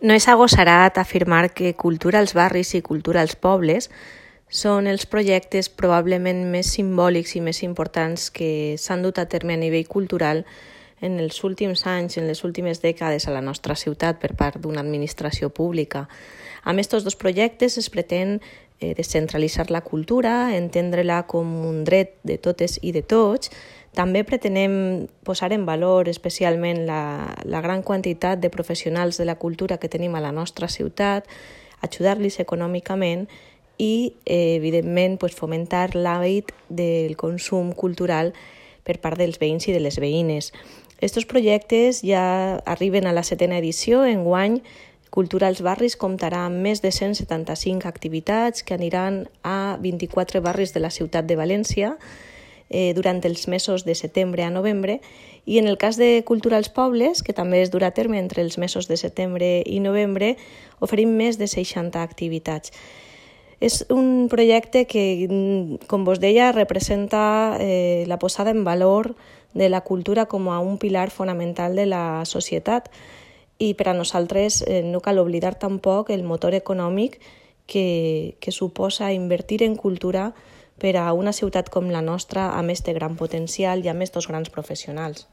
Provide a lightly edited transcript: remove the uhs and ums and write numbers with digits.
No és agosarat afirmar que Cultura als barris i Cultura als pobles són els projectes probablement més simbòlics i més importants que s'han dut a terme a nivell cultural en els últims anys, en les últimes dècades a la nostra ciutat per part d'una administració pública. Amb aquests dos projectes es pretén descentralitzar la cultura, entendre-la com un dret de totes i de tots. També pretenem posar en valor especialment la gran quantitat de professionals de la cultura que tenim a la nostra ciutat, ajudar-los econòmicament i, evidentment, fomentar l'hàbit del consum cultural per part dels veïns i de les veïnes. Estos projectes ja arriben a la 7a edició. Enguany, Cultura als barris comptarà amb més de 175 activitats que aniran a 24 barris de la ciutat de València durant els mesos de setembre a novembre, i en el cas de Cultura als pobles, que també es durà a terme entre els mesos de setembre i novembre, oferim més de 60 activitats. És un projecte que, com vos deia, representa la posada en valor de la cultura com a un pilar fonamental de la societat, i per a nosaltres no cal oblidar tampoc el motor econòmic que suposa invertir en cultura per a una ciutat com la nostra amb este gran potencial i amb estos grans professionals.